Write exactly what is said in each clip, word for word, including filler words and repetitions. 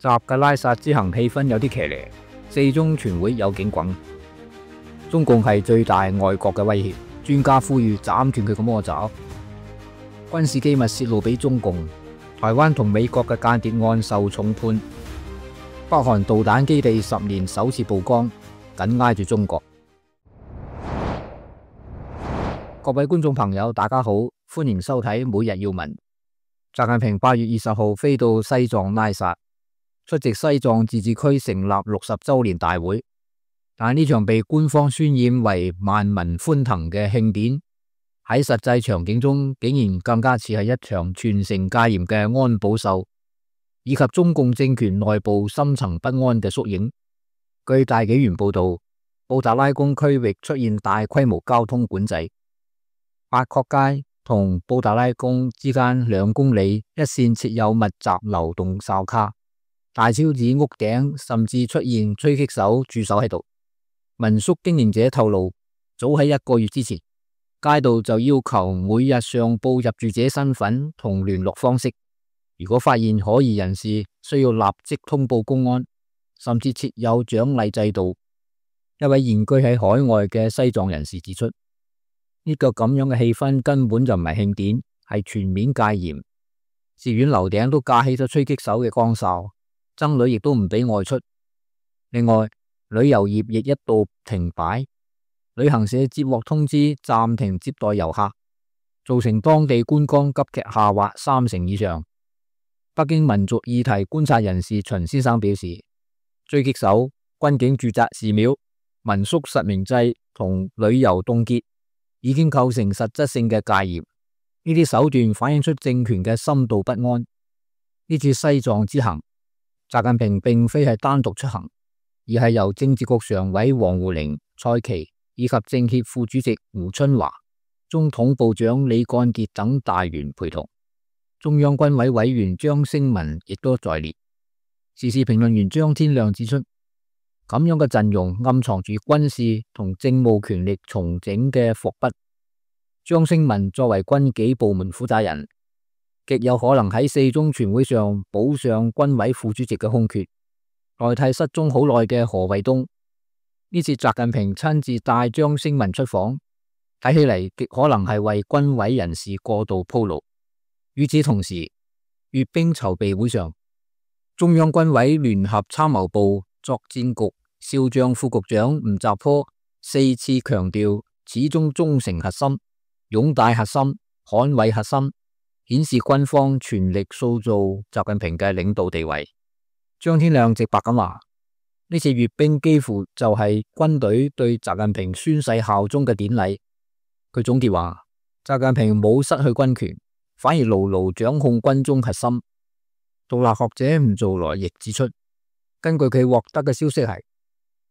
習嘅拉薩之行氣氛有啲騎呢，四中全會有警棍，中共係最大外國嘅威脅，專家呼籲斬斷佢嘅魔爪。軍事機密泄露俾中共，台灣同美國嘅間諜案受重判，北韓導彈基地十年首次曝光，緊挨住中國。各位觀眾朋友，大家好，歡迎收睇每日要聞。習近平八月二十號飛到西藏拉薩，出席西藏自治區成立六十周年大會。但呢場被官方渲染為萬民歡騰嘅慶典，喺實際場景中竟然更加似係一場全城戒嚴嘅安保秀，以及中共政權內部深層不安嘅縮影。據大紀元報道，布達拉宮區域出現大規模交通管制，八廓街同布達拉宮之間兩公里一線設有密集流動哨卡，大昭寺屋頂甚至出現狙擊手駐守喺度。民宿經營者透露，早喺一個月之前，街道就要求每日上報入住者身份同聯絡方式，如果發現可疑人士，需要立即通報公安，甚至設有獎勵制度。一位現居喺海外嘅西藏人士指出，呢個咁樣嘅氣氛根本就唔係慶典，係全面戒嚴。寺院樓頂都架起咗狙擊手嘅光哨，僧侶亦都唔俾外出。另外，旅遊業亦一度停擺，旅行社接獲通知暫停接待遊客，造成當地觀光急劇下滑三成以上。北京民族議題觀察人士秦先生表示，狙擊手、軍警駐紮寺廟、民宿實名制同旅遊凍結已經構成實質性嘅戒嚴。呢啲手段反映出政權嘅深度不安。呢次西藏之行，習近平並非係單獨出行，而係由政治局常委王滬寧、蔡奇以及政協副主席胡春華、中統部長李幹傑等大員陪同。中央軍委委員張星文亦都在列。時事評論員張天亮指出，咁樣嘅陣容暗藏住軍事同政務權力重整嘅伏筆。張星文作為軍紀部門負責人，極有可能喺四中全會上補上軍委副主席嘅空缺，代替失蹤好耐嘅何衛東。呢次習近平親自帶張星文出訪，睇起嚟極可能係為軍委人事過度鋪路。與此同時，閱兵籌備會上，中央軍委聯合參謀部作戰局少將副局長吳澤坡四次強調始終忠誠核心、擁戴核心、捍衛核心，顯示軍方全力塑造習近平嘅領導地位。張天亮直白咁話，呢次閱兵幾乎就係軍隊對習近平宣誓效忠嘅典禮。佢總結話，習近平冇失去軍權，反而牢牢掌控軍中核心。獨立學者吳造來亦指出，根據佢獲得嘅消息係，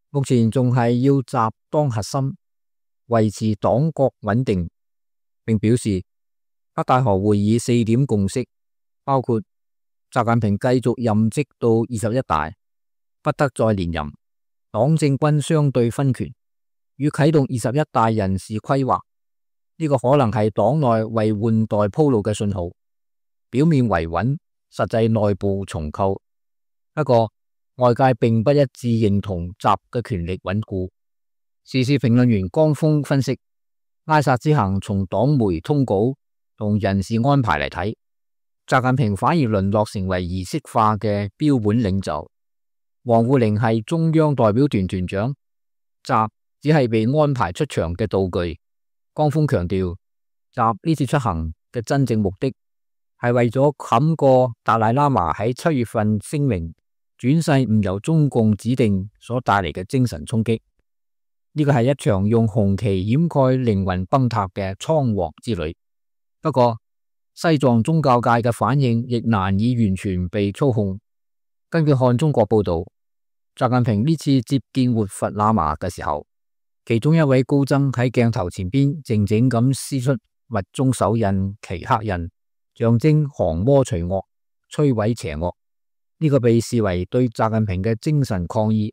目前仲係要習當核心，維持黨國穩定，並表示北戴河會議四點共識包括習近平繼續任職到二十一大，不得再連任，黨政軍相對分權，與啟動二十一大人事規劃。呢個可能係黨內為換代鋪路嘅信號，表面維穩，實際內部重構。不過外界並不一致認同習嘅權力穩固。時事評論員江峰分析，拉薩之行從黨媒通稿同人事安排嚟睇，習近平反而淪落成為儀式化嘅標本領袖。王滬寧係中央代表團團長，習只係被安排出場嘅道具。江峰強調，習呢次出行嘅真正目的係為咗冚過達賴喇嘛喺七月份聲明轉世唔由中共指定所帶嚟嘅精神衝擊。呢個係一場用紅旗掩蓋靈魂崩塌嘅倉皇之旅。不過西藏宗教界嘅反應亦難以完全被操控。根據看中國報道，習近平呢次接見活佛喇嘛嘅時候，其中一位高僧喺鏡頭前邊靜靜咁施出密宗手印、奇克印，象徵降魔除惡、摧毀邪惡。呢、這個被視為對習近平嘅精神抗議。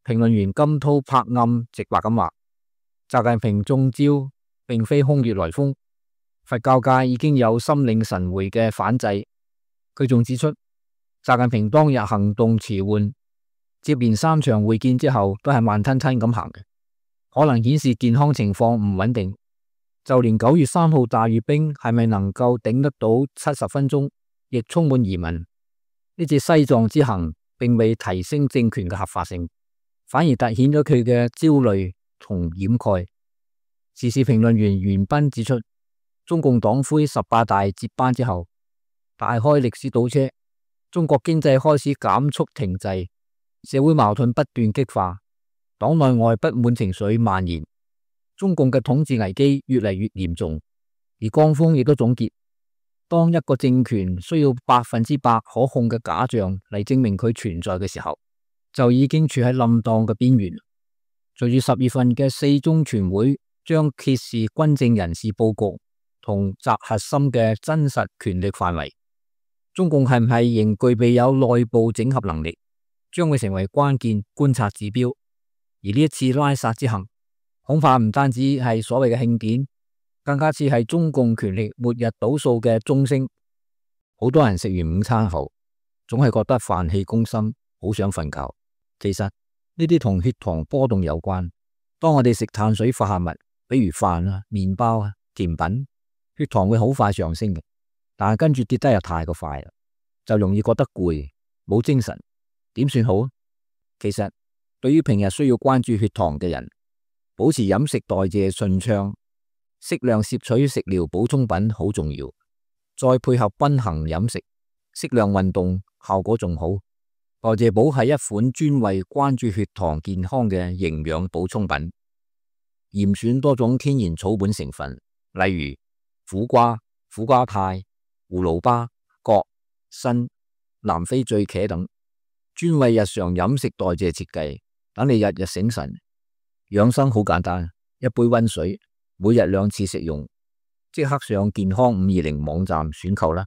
評論員金濤拍暗直白咁話，習近平中招並非空穴來風，佛教界已經有心領神會嘅反制。佢仲指出，習習近平當日行動遲緩，接連三場會見之後都係慢吞吞咁行嘅，可能顯示健康情況唔穩定。就連九月三號大閱兵係咪能夠頂得到七十分鐘，亦充滿疑問。呢次西藏之行並未提升政權嘅合法性，反而凸顯咗佢嘅焦慮同掩蓋。時事評論員袁彬指出，中共黨魁十八大接班之後，大開歷史倒車，中國經濟開始減速停滯，社會矛盾不斷激化，黨內外不滿情緒蔓延，中共嘅統治危機越嚟越嚴重。而江峰亦都總結，當一個政權需要百分之百可控嘅假象嚟證明佢存在嘅時候，就已經處喺冧檔嘅邊緣。隨住十月份嘅四中全會將揭示軍政人事佈局同習核心嘅真實權力範圍，中共係唔係仍具備有內部整合能力，將會成為關鍵觀察指標。而呢一次拉薩之行，恐怕唔單止係所謂嘅慶典，更加似係中共權力末日倒數嘅鐘聲。好多人食完午餐後，總係覺得飯氣攻心，好想瞓覺。其實呢啲同血糖波動有關。當我哋食碳水化合物，比如飯啊、麵包啊、甜品，血糖會好快上升嘅，但係跟住跌得又太過快啦，就容易覺得攰，冇精神。點算好？其實對於平日需要關注血糖嘅人，保持飲食代謝順暢，適量攝取食療補充品好重要，再配合均衡飲食，適量運動，效果仲好。代謝寶係一款專為關注血糖健康嘅營養補充品，嚴選多種天然草本成分，例如苦瓜、苦瓜肽、葫蘆巴、葛、參、南非醉茄等，專為日常飲食代謝設計，等你日日醒神。養生好簡單，一杯溫水，每日兩次食用，即刻上健康五二零網站選購啦。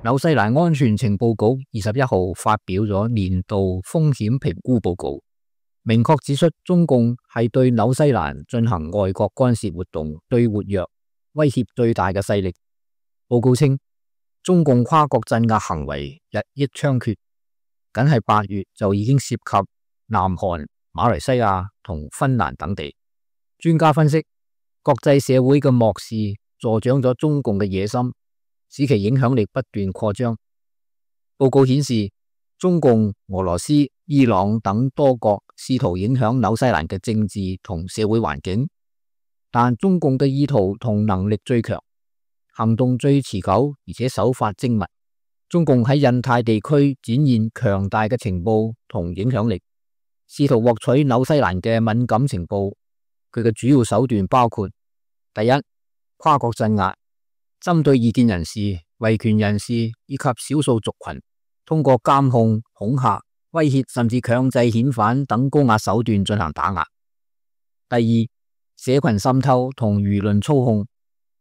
紐西蘭安全情報局二十一號發表咗年度風險評估報告，明確指出中共係對紐西蘭進行外國干涉活動最活躍、威脅最大嘅勢力。報告稱，中共跨國鎮壓行為日益猖獗，僅係八月就已經涉及南韓、馬來西亞同芬蘭等地。專家分析，國際社會嘅漠視助長咗中共嘅野心，使其影響力不斷擴張。報告顯示，中共、俄羅斯、伊朗等多國試圖影響紐西蘭嘅政治同社會環境，但中共嘅意圖同能力最強，行動最持久，而且手法精密。中共喺印太地區展現強大嘅情報同影響力，試圖獲取紐西蘭嘅敏感情報。佢嘅主要手段包括：第一，跨國鎮壓，針對異見人士、維權人士以及少數族群，通過監控、恐嚇、威脅甚至強制遣返等高壓手段進行打壓。第二，社群滲透同輿論操控，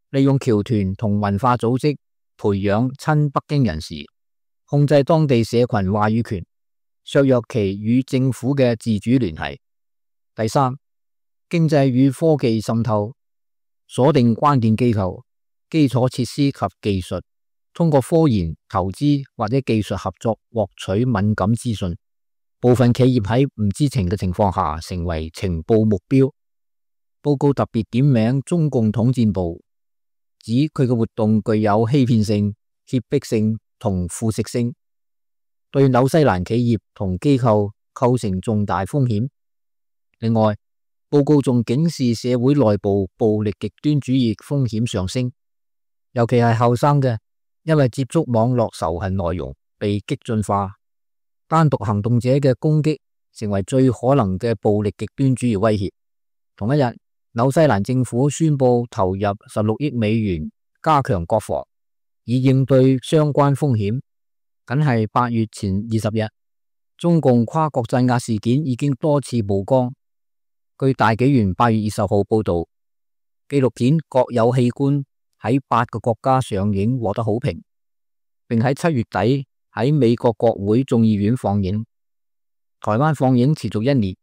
利用僑團同文化組織培養親北京人士，控制當地社群話語權，削弱其與政府嘅自主聯繫。第三，經濟與科技滲透，鎖定關鍵機構、基礎設施及技術，通過科研、投資或者技術合作獲取敏感資訊。部分企業喺唔知情嘅情況下成為情報目標。報告特別點名中共統戰部，指佢嘅活動具有欺騙性、脅迫性同腐蝕性，對紐西蘭企業同機構構成重大風險。另外，報告仲警示社會內部暴力極端主義風險上升，尤其係後生嘅，因為接觸網絡仇恨內容被激進化，單獨行動者嘅攻擊成為最可能嘅暴力極端主義威脅。同一日，紐西蘭政府宣布投入十六億美元加強國防，以應對相關風險。僅係八月前二十日，中共跨國鎮壓事件已經多次曝光。據大紀元八月二十號報道，紀錄片《國有器官》喺八個國家上映獲得好評，並喺七月底喺美國國會眾議院放映。台灣放映持續一年，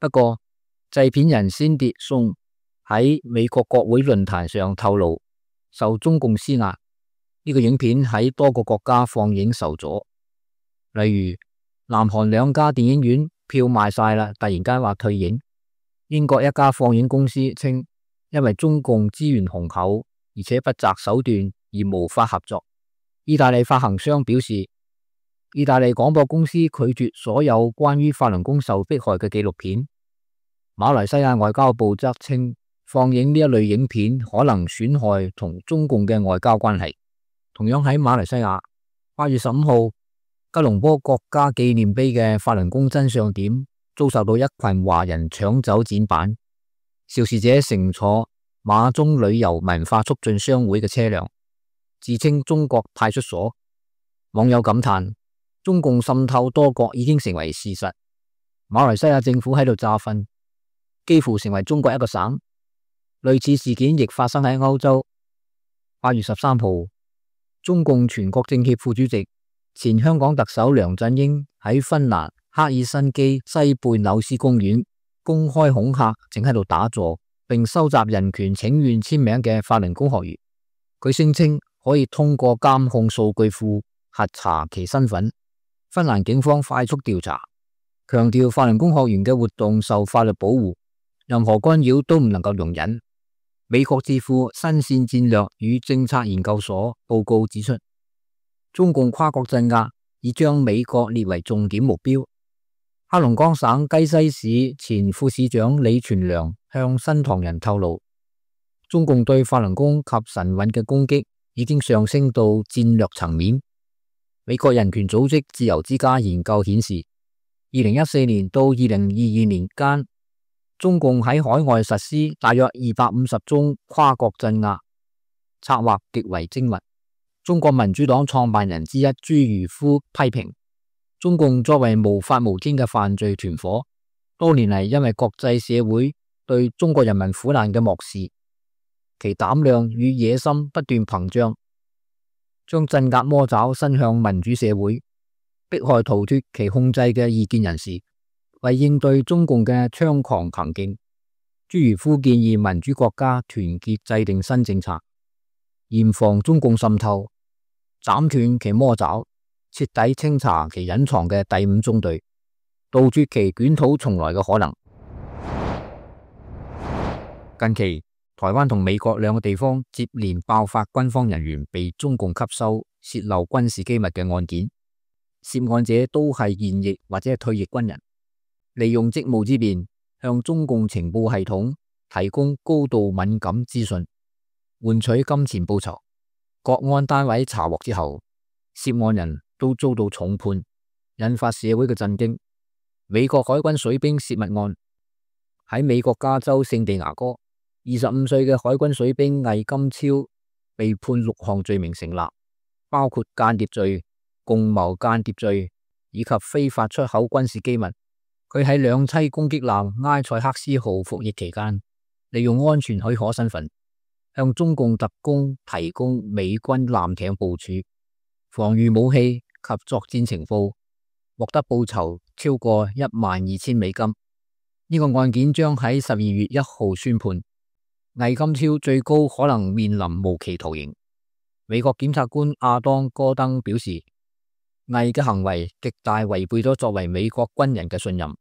不過製片人仙蝶松喺美國國會論壇上透露，受中共施壓，呢個影片喺多個國家放映受阻，例如南韓兩家電影院票賣晒啦，突然間話退映。英國一家放映公司稱，因為中共資源雄厚，而且不擇手段而無法合作。意大利發行商表示，意大利廣播公司拒絕所有關於法輪功受迫害嘅紀錄片。馬來西亞外交部則稱，放映呢一類影片可能損害同中共嘅外交關係。同樣喺馬來西亞，八月十五號，吉隆坡國家紀念碑嘅法輪功真相點遭受到一群華人搶走展板，肇事者乘坐馬中旅遊文化促進商會嘅車輛，自稱中國派出所。網友感嘆，中共滲透多國已經成為事實，馬來西亞政府喺度詐瞓，幾乎成為中國一個省。類似事件亦發生喺歐洲。八月十三號，中共全國政協副主席、前香港特首梁振英喺芬蘭赫爾辛基西貝紐斯公園公開恐嚇正喺度打坐並收集人權請願簽名嘅法輪功學員。佢聲稱可以通過監控數據庫核查其身份。芬蘭警方快速調查，強調法輪功學員嘅活動受法律保護，任何干擾都唔能夠容忍。美國智庫新線戰略與政策研究所報告指出，中共跨國鎮壓已將美國列為重點目標。黑龍江省雞西市前副市長李全良向新唐人透露，中共對法輪功及神韻嘅攻擊已經上升到戰略層面。美國人權組織自由之家研究顯示，二零一四年到二零二二年間，中共喺海外實施大約二百五十宗跨國鎮壓，策劃極為精密。中國民主黨創辦人之一朱如夫批評，中共作為無法無天嘅犯罪團伙，多年嚟因為國際社會對中國人民苦難嘅漠視，其膽量與野心不斷膨脹，將鎮壓魔爪伸向民主社會，迫害逃脫其控制嘅異見人士。為應對中共嘅猖狂行徑，朱如夫建議民主國家團結制定新政策，嚴防中共滲透，斬斷其魔爪，徹底清查其隱藏嘅第五中隊，杜絕其捲土重來嘅可能。近期，台灣同美國兩個地方接連爆發軍方人員被中共吸收洩漏軍事機密嘅案件，涉案者都係現役或者係退役軍人，利用職務之便向中共情報系統提供高度敏感資訊，換取金錢報酬。國安單位查獲之後，涉案人都遭到重判，引發社會嘅震驚。美國海軍水兵洩密案，喺美國加州聖地牙哥，二十五歲嘅海軍水兵魏金超被判六項罪名成立，包括間諜罪、共謀間諜罪以及非法出口軍事機密。佢喺兩棲攻擊艦埃塞克斯號服役期間，利用安全許可身份，向中共特工提供美軍艦艇部署、防禦武器及作戰情報，獲得報酬超過一萬二千美金。呢個案件將喺十二月一號宣判，魏金超最高可能面臨無期徒刑。美國檢察官亞當戈登表示，魏嘅行為極大違背咗作為美國軍人嘅信任。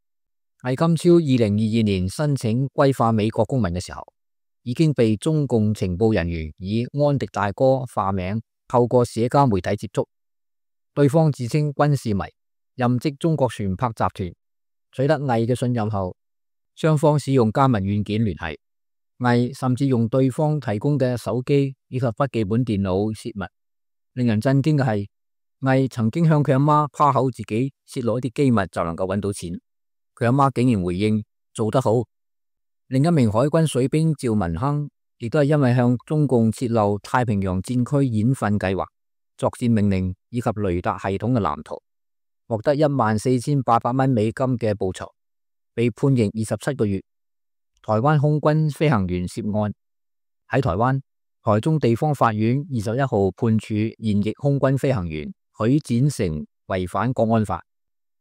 魏金超二零二二年申請歸化美國公民嘅時候，已經被中共情報人員以安迪大哥化名透過社交媒體接觸。對方自稱軍事迷，任職中國船舶集團。取得魏嘅信任後，雙方使用加密軟件聯繫。魏甚至用對方提供嘅手機以及筆記本電腦洩密。令人震驚嘅係，魏曾經向佢阿媽誇口自己洩露一啲機密就能夠揾到錢，佢阿媽竟然回應做得好。另一名海軍水兵趙文亨亦都係因為向中共洩露太平洋戰區演訓計劃、作戰命令以及雷達系統嘅藍圖，獲得一萬四千八百蚊美金嘅報酬，被判刑二十七個月。台灣空軍飛行員涉案，喺台灣台中地方法院二十一號判處現役空軍飛行員許展成違反國安法，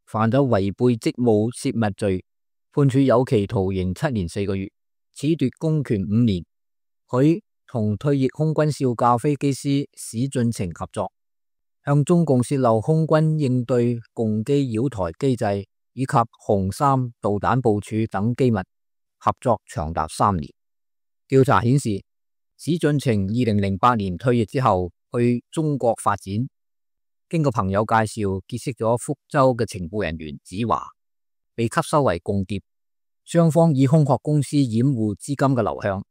犯咗違背職務洩密罪，判處有期徒刑七年四個月，褫奪公權五年。許同退役空軍少校飛機師史俊晴合作，向中共洩漏空軍應對共機擾台機制以及紅三導彈部署等機密，合作長達三年。調查顯示，史俊晴二零零八年退役之後去中國發展，經過朋友介紹結識咗福州嘅情報人員子華，被吸收為共諜。雙方以空殼公司掩護資金嘅流向，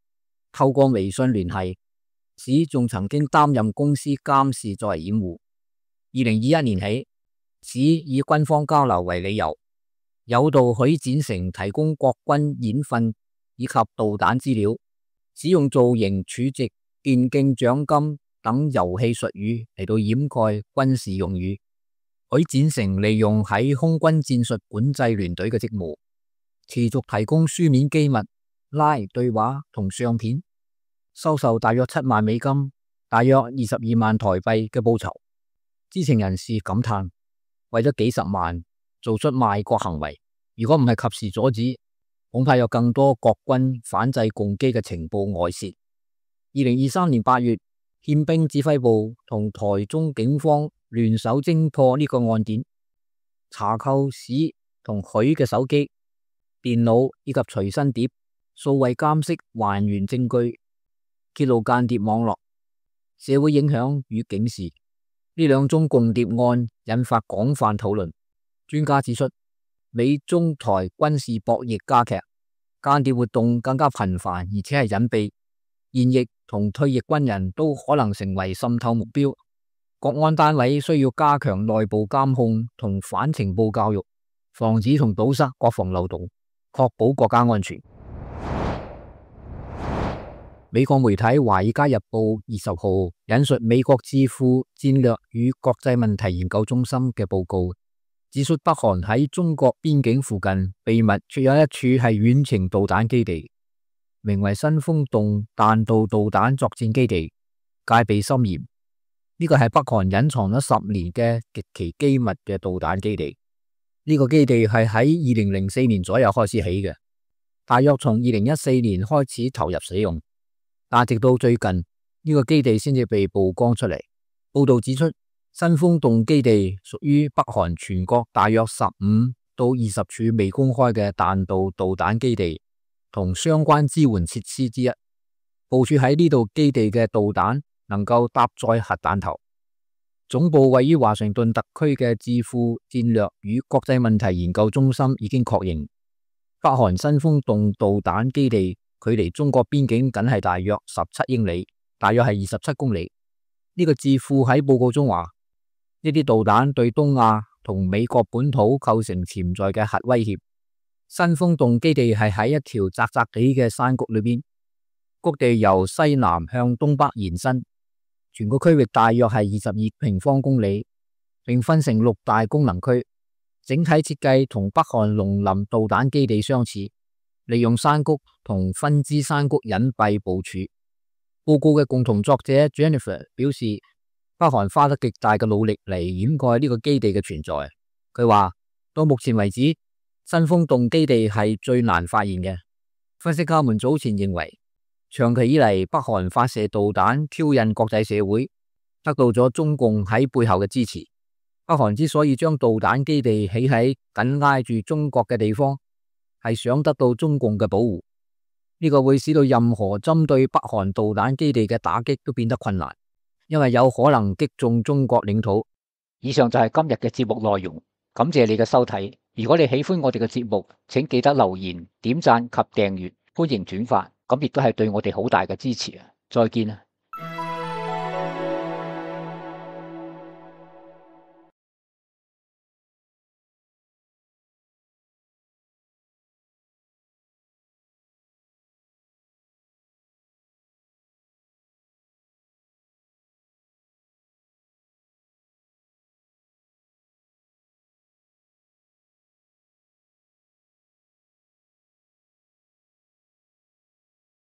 透過微信聯繫，史仲曾經擔任公司監事作為掩護。二零二一年起，史以軍方交流為理由，誘導許展成提供國軍演訓以及導彈資料，使用造型、儲值、電競獎金等遊戲術語嚟到掩蓋軍事用語。許展成利用喺空軍戰術管制聯隊嘅職務，持續提供書面機密、拉對話同相片，收受大約七萬美金，大約二十二萬台幣嘅報酬。知情人士感嘆，為咗幾十萬做出賣國行為，如果唔係及時阻止，恐怕有更多國軍反制共機嘅情報外泄。二零二三年八月，憲兵指揮部同台中警方聯手偵破呢個案件，查扣史同許嘅手機、電腦以及隨身碟，數位監視還原證據，揭露間諜網絡、社會影響與警示。呢兩宗共諜案引發廣泛討論。專家指出，美中台軍事博弈加劇，間諜活動更加頻繁，而且係隱蔽。現役同退役軍人都可能成為滲透目標。國安單位需要加強內部監控同反情報教育，防止同堵塞國防漏洞，確保國家安全。美國媒體《華爾街日報》二十號引述美國智庫戰略與國際問題研究中心嘅報告，指出北韓喺中國邊境附近秘密設有一處係遠程導彈基地，名為新豐洞彈道導彈作戰基地，戒備森嚴。呢個係北韓隱藏咗十年嘅極其機密嘅導彈基地。呢個基地係喺二零零四年左右開始起嘅，大約從二零一四年開始投入使用。但直到最近，呢個基地先至被曝光出嚟。報道指出，新豐洞基地屬於北韓全國大約十五到二十處未公開嘅彈道導彈基地同相關支援設施之一。部署喺呢度基地嘅導彈能夠搭載核彈頭。總部位於華盛頓特區嘅智庫戰略與國際問題研究中心已經確認，北韓新豐洞導彈基地距離中國邊境僅係大約十七英里，大約係二十七公里。呢個智庫喺報告中話，呢啲導彈對東亞同美國本土構成潛在嘅核威脅。新豐洞基地係喺一條窄窄地嘅山谷裏邊，谷地由西南向東北延伸，全個區域大約係二十二平方公里，並分成六大功能區。整體設計同北韓龍林導彈基地相似，利用山谷同分支山谷隱蔽部署。報告嘅共同作者 Jennifer 表示，北韓花得極大嘅努力嚟掩蓋呢個基地嘅存在。佢話到目前為止，新豐洞基地係最難發現嘅。分析家們早前認為，長期以嚟北韓發射導彈挑釁國際社會，得到咗中共喺背後嘅支持。北韓之所以將導彈基地起喺緊挨住中國嘅地方，係想得到中共嘅保護。呢個會使到任何針對北韓導彈基地嘅打擊都變得困難，因為有可能擊中中國領土。以上就係今日嘅節目內容，感謝你嘅收睇。如果你喜歡我哋嘅節目，請記得留言、點讚及訂閱，歡迎轉發，咁亦都係對我哋好大嘅支持啊！再見啊！